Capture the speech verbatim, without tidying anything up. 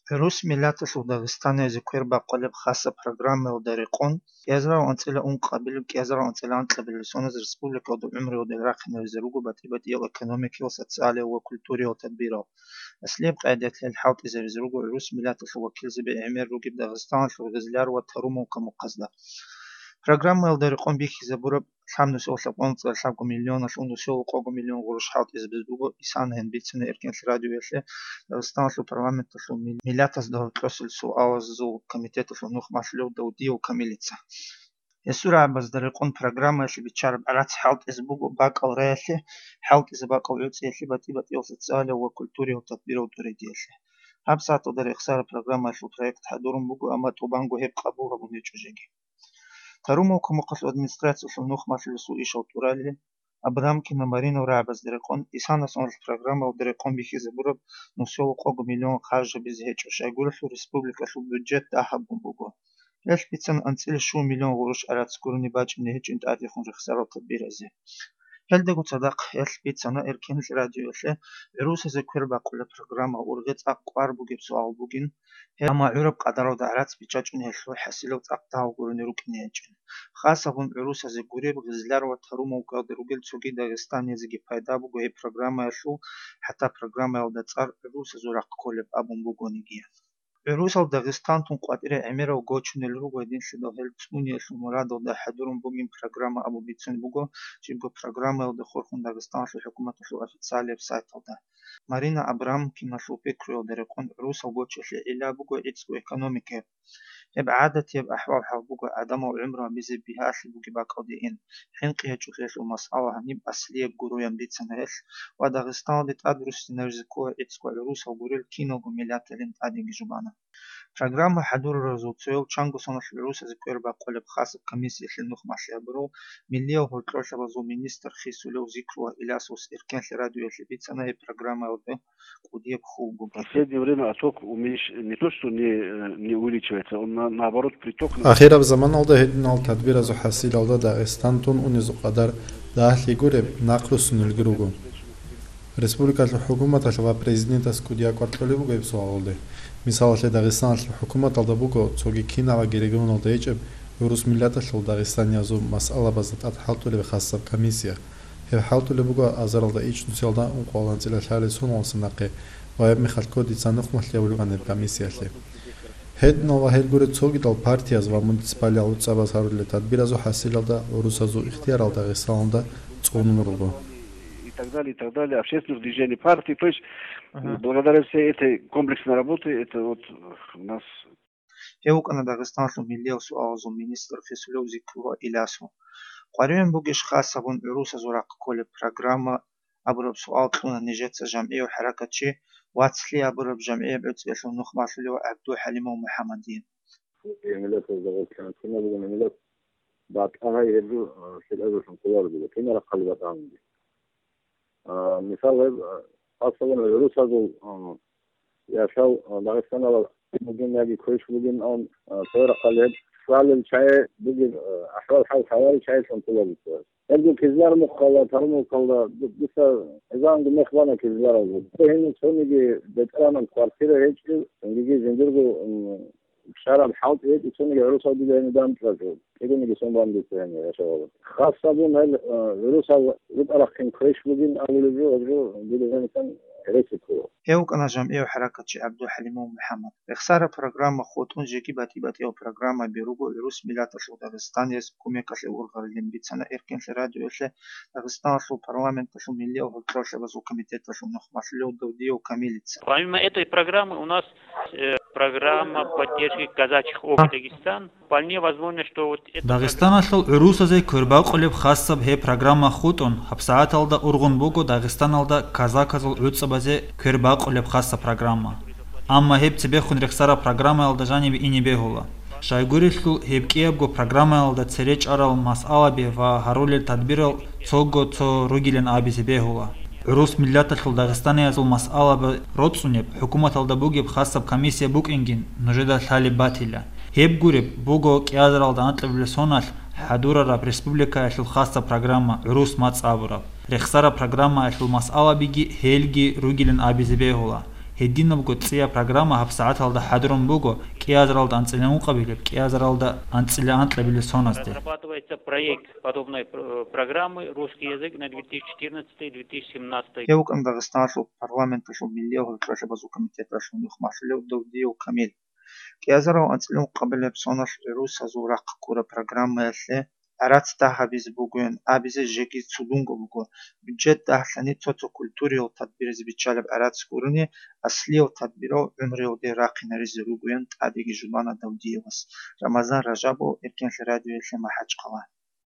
ГӀурус миллаталъул дагъистаниязе квер бакъулеб хасаб программаялда рекъон, кӀиазарал анцӀила ункъабилеб, кӀиазарал анцӀила анкьабилеб соналъ республикалда гӀумруялда рахъинаризе руго батӀи-батӀиял экономикиял, социалиял ва культуриял тадбирал. Аслияб къагӀидаялъ гьел хӀалтӀизаризе руго гӀурус миллаталъул вакилзаби гӀемер ругеб Дагъистаналъул Гъизлар ва Тарумовка мухъазда. Программаялда рекъон бихьизабураб лъабнусиялъ лъабго миллионалъул нусиялъул къого миллион гъурущ хӀалтӀизабизе буго, исана гьаниб бицана Эркенлъи радиоялъе Дагъистаналъул парламенталъул мил-, миллатазда гьоркьосел суалазул комитеталъул нухмалъулев Давдиев Камилица. Гьесул рагӀабазда рекъон программаялъе биччараб гӀарац хӀалтӀизе буго бакӀал раялъе, хӀалтӀизе бакӀал гӀуцӀиялъе, батӀи-батӀиял социалиял ва культуриял тадбирал тӀуредиялъе. Гьаб сагӀаталда рехсараб программаялъул проект хӀадурун буго, амма тӀубанго гьеб къабул гьабун гьечӀо жеги. Тарумовка мухъалъул администрациялъул нухмалъулесул ишал тӀурали Абрамкина Маринал рагӀабазда рекъон, исана соналъ программаялда рекъон бихьизабураб нусиялъул къого миллион харж гьабизе гьечӀо, щайгурелъул республикалъул бюджет дагьабун буго. Гьелъ бицана анцӀила щуго миллион гъурущ гӀарац гурони бачӀине гьечӀин тӀадехун рехсарал тадбиразе. Гьелдаго цадахъ гьелъ бицана Эркенлъи радиоялъе гӀурусазе квер бакъулеб программа ургъи цӀакъ кӀвар бугеб суал бугин, гьеб амма гӀураб къадаралда гӀарац биччачӀун гьелъул хӀасилал цӀакъ дагьал гурони рукӀине гьечӀин. Хасабун гӀурусазе гуреб, Гъизлар ва Тарумовкаялда ругел цоги дагъистаниязеги пайда буго гьеб программаялъул, хӀатта программаялда цӀар гӀурусазул рахъ кколеб абун бугониги. ГӀурусал Дагъистантун къватӀире гӀемерал гочунел руго гьединлъидал гьел цӀуниялъул мурадалда хӀадурун бугин программа абун бицун буго жибго программаялда хурхун Дагъистаналъул хӀукуматалъул официалияб сайталда. Марина Абрамкиналъул пикруялда рекъон гӀурусал гочалъе гӀилла буго гӀицӀго экономикаяб. Гьеб гӀадатияб ахӀвал-хӀал буго гӀадамал гӀумру гьабизе бигьалъи бугеб бакӀалде ин, хӀинкъи гьечӀолъиялъул масъала гьаниб аслияб гуроян бицана гьелъ ва Дагъистаналде тӀад руссинаризе ккола гӀицӀго гӀурусал гурел киналго миллаталин тӀадеги жубана. Программа хӀадураразул цояв чанго соналъ гӀурусазе квер бакъулеб хасаб комиссиялъе нухмалъи гьабурав миллиял гьоркьорлъабазул министр хисулев Зикрулла Илясовас Эркенлъи радиоялъе бицана гьеб программаялда кӀудияб хьул бугин. В последнее время отток уменьш-, не то что не, э, не увеличивается, он на-, наоборот приток. Ахираб заманалда гьединал тадбиразул хӀасилалда Дагъистантун унезул къадар дагьлъи гуреб нахъруссунелги руго. Республикалъул хӀукуматалъ ва президентас кӀудияб кӀвар кьолеб буго гьеб суалалде. Мисалалъе, Дагъистаналъул хӀукуматалда буго цоги кинабаги регионалда гьечӀеб гӀурус миллаталъул дагъистаниязул масъалабазда тӀад хӀалтӀулеб хасаб комиссия. Гьеб хӀалтӀулеб буго азаралда ичӀнусиялда ункъоялда анцӀила лъабабилеб соналдаса нахъе ва гьеб мехалъ кодица нухмалъи гьабулеб гьаниб комиссиялъе. Гьединал ва гьел гуреб цогидал партияз ва муниципалиял гӀуцӀабаз гьарулел тадбиразул хӀасилалда гӀурусазул ихтиярал Дагъистаналда цӀунун руго. И так далее, и так далее, общественных движений, партий. То есть, Мгм. благодаря всей этой комплексной работе, это вот у нас. Гьев вукӀана Дагъистаналъул миллиял суалазул министр хисулев Зикрулла Илясов. КъваригӀун бугищ хасабун гӀурусазул рахъ кколеб программа абураб суал кьуна нижеца жамгӀияв хӀаракатчи, «Вацлъи» абураб жамгӀияб гӀуцӀиялъул нухмалъулев ГӀабду ХӀалимов МухӀаммадие. Миллатазда гъорлъ кинаб бугони миллат батӀа гьай гьеб жо, а, лъикӀабилъун хъулар буго, кинара хъали батӀа гьанги. А, мисал, гьеб, а, хасабун гӀурусазул, а, яшав, а, Дагъистаналда бугин яги квеш бугин, ан, а, цояра хъали гьеб лъалел чагӀи бугеб, а, ахӀвал-хӀал лъаларел чагӀилъун хъулар буго. Гьеб жо Кизлар мухъалда, Тарумовкалда, ду-, дуца гӀезегӀанго мех бана Кизларалда. Гьенив цониги бетӀеран квартира гьечӀев, цониги жиндирго, м, щвараб хӀалтӀи гьечӀев, цониги гӀурусал дида гьенив данчӀвачӀо, кӀиданиги сон бан дица гьенив яшавала. Хасабун гьел, э, гӀурусал рукӀа-рахъин квеш бугин абулеб жо, гьеб жо дида гьенисан гьереси ккола. Гьев вукӀана жамгӀияв хӀаракатчи ГӀабду ХӀалимов МухӀаммад. Рехсараб программа хутӀун жеги батӀи-батӀиял программаби руго гӀурус миллаталъул Дагъистанияс кумекалъе ургъарилин бицана Эркенлъи радиоялъе Дагъистаналъул парламенталъул миллиял гьоркьорлъабазул комитеталъул нухмалъулев Давдиев Камилица. Помимо этой программы у нас, э, программа поддержки казачьих общин Дагестан. Вполне возможно, что вот эта Дагъистаналъул гӀурусазе квербакъулеб хасаб гьеб программа хутӀун, гьабсагӀаталда ургъун буго Дагъистаналда казаказул гӀуцӀабазе квербакъулеб хасаб программа. Амма гьеб цебехун рехсараб программаялда жанибе ине бегьула. Щайгурелъул гьеб кӀиябго программаялда цере чӀарал масъалаби ва гьарулел тадбирал цого цо ругилан абизе бегьула. ГӀурус миллаталъул дагъистаниязул масъалаби роцӀцӀунеб, хӀукуматалда бугеб хасаб комиссия букӀингин нужеда лъалеб батила. Гьеб гуреб буго кӀиазаралда анкьабилеб соналъ хӀадурараб республикаялъул хасаб программа «ГӀурус мацӀ» абураб. Рехсараб программаялъул масъалабиги гьелги ругилан абизе бегьула. Гьединабго цӀияб программа гьабсагӀаталда хӀадурун буго кӀиазаралда анцӀила ункъабилеб, кӀиазаралда анцӀила анкьабилеб соназде. Разрабатывается проект подобной пр-, программы «Русский язык на две тысячи четырнадцатый две тысячи семнадцатый». Гьев вукӀана Дагъистаналъул парламенталъул миллиял гьоркьошлъабазул комитеталъул нухмалъулев Давдиев Камил. КӀиазарал анцӀила ункъабилеб соналъ рурсазул рахъ ккураб программаялъе гӀарац дагь гьабизе бугоян абизе жеги цудунго буго. Бюджет дагьлъани цо-цо культуриял тадбиризе биччалеб гӀарац гурони, аслиял тадбирал гӀумруялде рахъинаризе ругоян тӀадеги жубана Давдиевас. Рамазан Ражабов, Эркенлъи радиоялъе, МахӀачхъала.